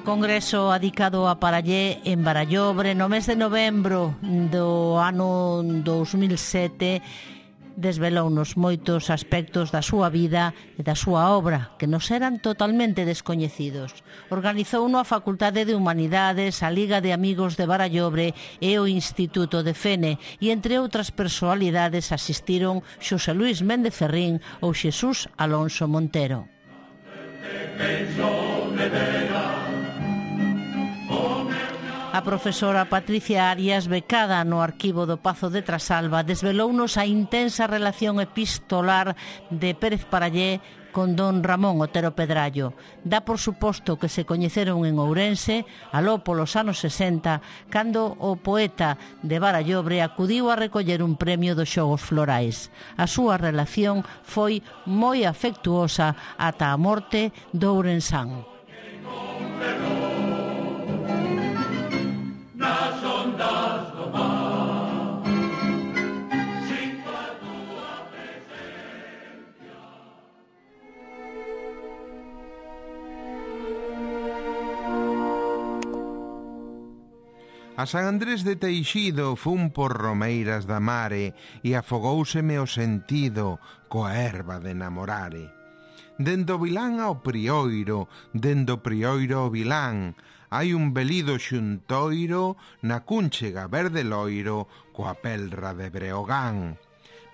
congreso adicado a Parallé en Barallobre no mes de novembro do ano 2007 desvelounos moitos aspectos da súa vida e da súa obra que nos eran totalmente descoñecidos. Organizouno a Facultade de Humanidades, a Liga de Amigos de Barallobre e o Instituto de Fene, e entre outras personalidades asistiron Xosé Luis Méndez Ferrín ou Xesús Alonso Montero. A profesora Patricia Arias, becada no arquivo do Pazo de Trasalba, desvelounos a intensa relación epistolar de Pérez Parallé con don Ramón Otero Pedrallo. Dá por suposto que se coñeceron en Ourense, aló polos anos 60, cando o poeta de Barallobre acudiu a recoller un premio dos Xogos Florais. A súa relación foi moi afectuosa ata a morte do ourensán. A San Andrés de Teixido fun por romeiras da mare e afogóuseme o sentido coa erva de namorare. Dendo o Vilán ao Prioiro, dendo o Prioiro ao Vilán, hai un velido xuntoiro na cúnchega verde loiro coa pelra de Breogán.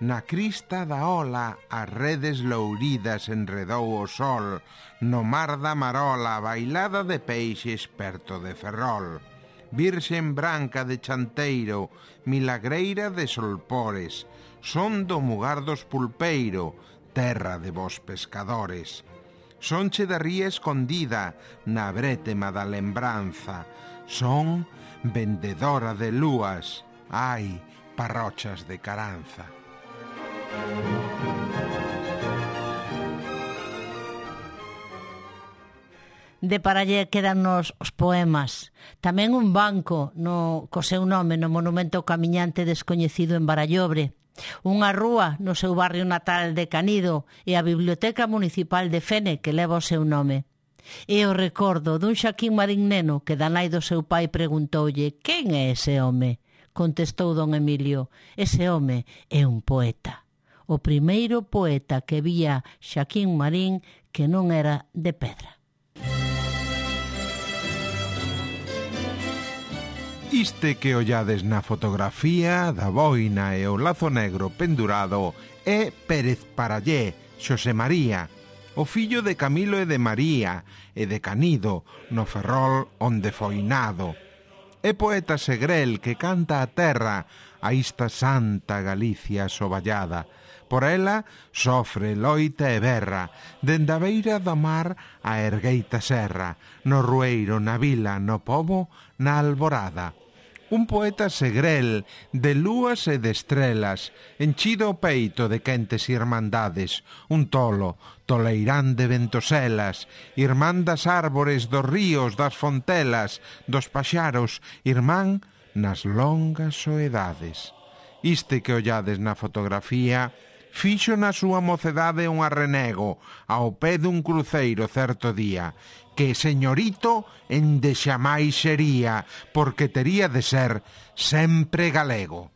Na crista da ola as redes louridas enredou o sol, no mar da Marola bailada de peixes perto de Ferrol. Virxen branca de Chanteiro, milagreira de Solpores, son do Mugar dos Pulpeiro, terra de vos pescadores. Sonche da ría escondida na brétema da lembranza, son vendedora de lúas, ai, parrochas de Caranza. De Parallé quedannos os poemas. Tamén un banco co seu nome no monumento camiñante descoñecido en Barallobre. Unha rúa no seu barrio natal de Canido e a Biblioteca Municipal de Fene que leva o seu nome. E o recordo dun Xaquín Marín neno que da nai do seu pai preguntoulle «Quen é ese home?» Contestou don Emilio «Ese home é un poeta». O primeiro poeta que vía Xaquín Marín que non era de pedra. Iste que ollades na fotografía da boina e o lazo negro pendurado é Pérez Parallé, Xosé María, o fillo de Camilo e de María e de Canido, no Ferrol onde foi nado. É poeta segrel que canta a terra a esta santa Galicia soballada. Por ela sofre, loita e berra, dende a beira do mar a ergueita serra, no rueiro, na vila, no pobo, na alborada. Un poeta segrel, de lúas e de estrelas, enchido o peito de quentes irmandades, un tolo, toleirán de ventoselas, irmán das árbores, dos ríos, das fontelas, dos paxaros, irmán nas longas soedades. Iste que ollades na fotografía fixo na súa mocedade un arrenego ao pé dun cruceiro certo día, que señorito ende xamais sería, porque tería de ser sempre galego.